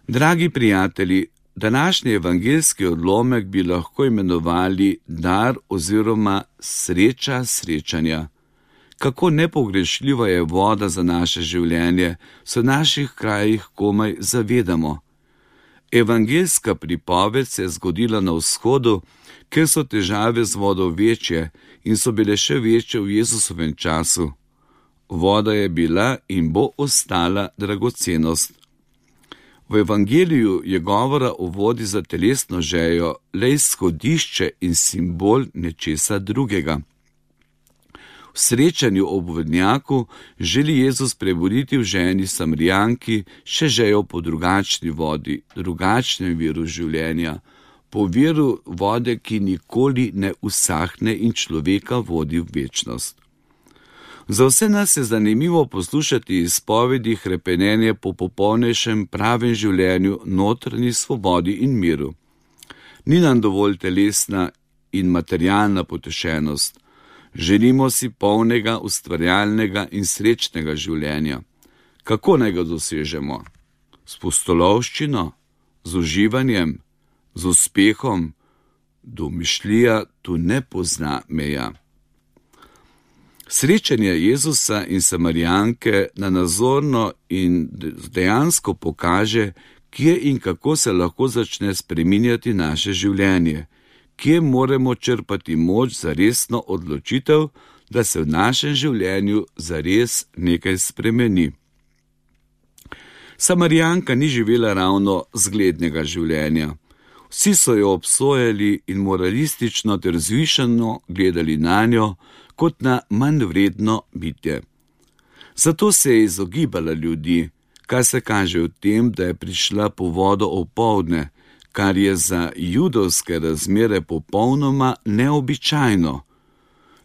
Dragi prijatelji, današnji evangeljski odlomek bi lahko imenovali dar oziroma sreča srečanja. Kako nepogrešljiva je voda za naše življenje, se v naših krajih komaj zavedamo. Evangeljska pripoved se je zgodila na vzhodu, ker so težave z vodo večje in so bile še večje v Jezusovem času. Voda je bila in bo ostala dragocenost. V evangeliju je govora o vodi za telesno žejo le izhodišče in simbol nečesa drugega. V srečanju ob vodnjaku želi Jezus prebuditi v ženi Samarijanki še žejo po drugačni vodi, drugačnem viru življenja, po viru vode, ki nikoli ne usahne in človeka vodi v večnost. Za vse nas je zanimivo poslušati izpovedi hrepenenja po popolnejšem pravem življenju, notranji svobodi in miru. Ni nam dovolj telesna in materialna potešenost. Želimo si polnega, ustvarjalnega in srečnega življenja. Kako naj ga dosežemo? S pustolovščino? Z uživanjem? Z uspehom? Domišljija tu ne pozna meja. Srečanje Jezusa in Samarijanke na nazorno in dejansko pokaže, kje in kako se lahko začne spreminjati naše življenje, kje moramo črpati moč za resno odločitev, da se v našem življenju zares nekaj spremeni. Samarijanka ni živela ravno zglednega življenja. Vsi so jo obsojali in moralistično ter zvišano gledali nanjo kot na manjvredno bitje. Zato se je izogibala ljudi, kar se kaže v tem, da je prišla po vodo opoldne, kar je za judovske razmere popolnoma neobičajno.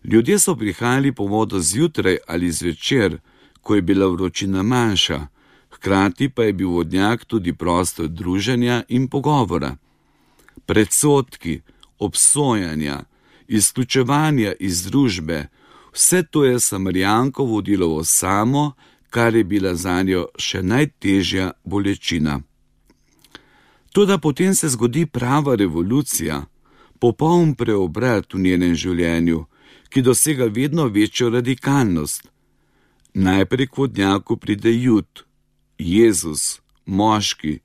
Ljudje so prihajali po vodo zjutraj ali zvečer, ko je bila vročina manjša, hkrati pa je bil vodnjak tudi prostor druženja in pogovora. Predsodki, obsojanja, izključevanja iz družbe, vse to je Samarijanko vodilo v samo, kar je bila zanjo še najtežja bolečina. Toda potem se zgodi prava revolucija, popoln preobrat v njenem življenju, ki dosega vedno večjo radikalnost. Najprej k vodnjaku pride Jud, Jezus, moški,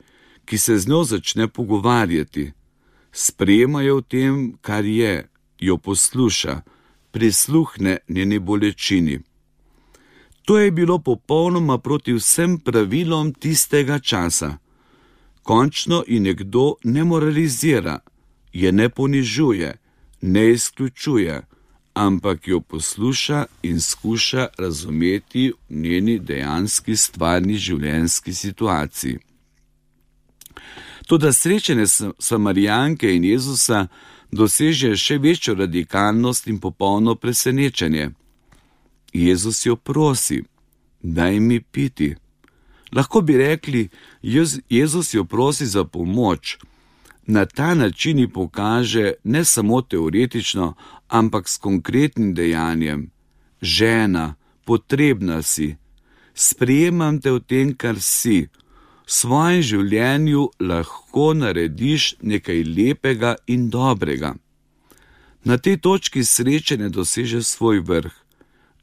ki se z njo začne pogovarjati. Sprejema jo v tem, kar je, jo posluša, prisluhne njeni bolečini. To je bilo popolnoma proti vsem pravilom tistega časa. Končno ji nekdo ne moralizira, je ne ponižuje, ne izključuje, ampak jo posluša in skuša razumeti v njeni dejanski stvarni življenjski situaciji. Toda srečanje Samarijanke in Jezusa doseže še večjo radikalnost in popolno presenečenje. Jezus jo prosi, daj mi piti. Lahko bi rekli, Jezus jo prosi za pomoč. Na ta način ji pokaže ne samo teoretično, ampak s konkretnim dejanjem. Žena, potrebna si. Sprejemam te v tem, kar si. V svojem življenju lahko narediš nekaj lepega in dobrega. Na tej točki srečanja doseže svoj vrh.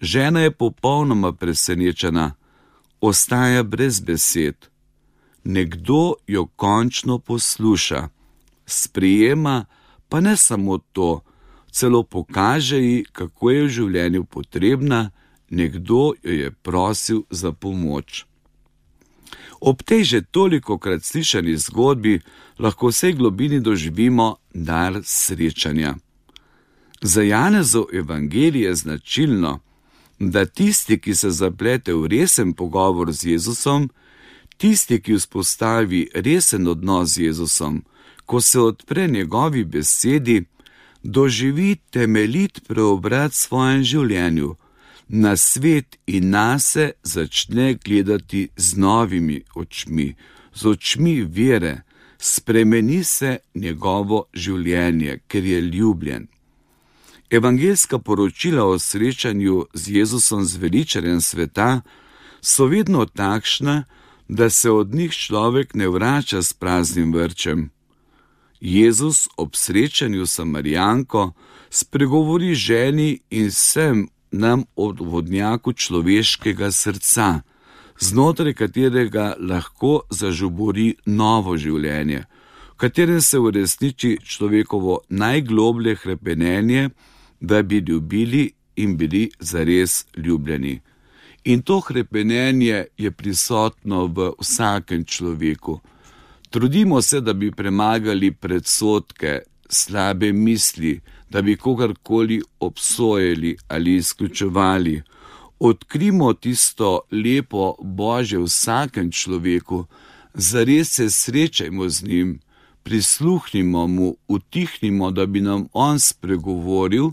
Žena je popolnoma presenečena, ostaja brez besed. Nekdo jo končno posluša, sprejema, pa ne samo to, celo pokaže ji, kako je v življenju potrebna, nekdo jo je prosil za pomoč. Ob tej že tolikokrat slišani zgodbi lahko vsej globini doživimo dar srečanja. Za Janezov evangelij je značilno, da tisti, ki se zaplete v resen pogovor z Jezusom, tisti, ki vzpostavi resen odnos z Jezusom, ko se odpre njegovi besedi, doživi temeljit preobrat v svojem življenju, na svet in nase začne gledati z novimi očmi, z očmi vere, spremeni se njegovo življenje, ker je ljubljen. Evangeljska poročila o srečanju z Jezusom zveličarjem sveta so vedno takšna, da se od njih človek ne vrača s praznim vrčem. Jezus ob srečanju s Samarijanko spregovori ženi in vsem nam o vodnjaku človeškega srca, znotraj katerega lahko zažubori novo življenje, v katerem se uresniči človekovo najgloblje hrepenenje, da bi ljubili in bili zares ljubljeni. In to hrepenenje je prisotno v vsakem človeku. Trudimo se, da bi premagali predsodke, slabe misli, da bi kogarkoli obsojali ali izključevali. Odkrimo tisto lepo Božje v vsakem človeku, zares se srečajmo z njim, prisluhnimo mu, utihnimo, da bi nam on spregovoril,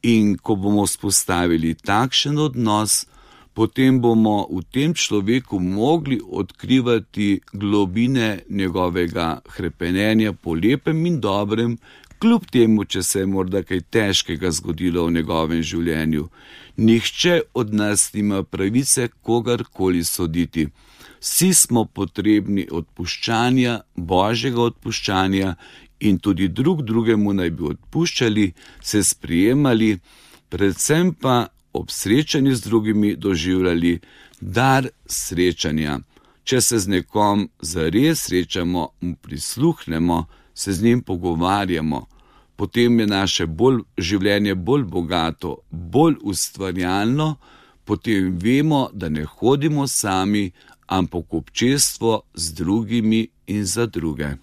in ko bomo vzpostavili takšen odnos, potem bomo v tem človeku mogli odkrivati globine njegovega hrepenenja po lepem in dobrem, kljub temu, če se je morda kaj težkega zgodilo v njegovem življenju. Nihče od nas nima pravice kogarkoli soditi. Vsi smo potrebni odpuščanja, Božjega odpuščanja, in tudi drug drugemu naj bi odpuščali, se sprijemali, predvsem pa ob srečanju z drugimi doživljali dar srečanja. Če se z nekom zares srečamo, mu prisluhnemo, se z njim pogovarjamo, potem je naše življenje bolj bogato, bolj ustvarjalno, potem vemo, da ne hodimo sami, ampak občestvo z drugimi in za druge.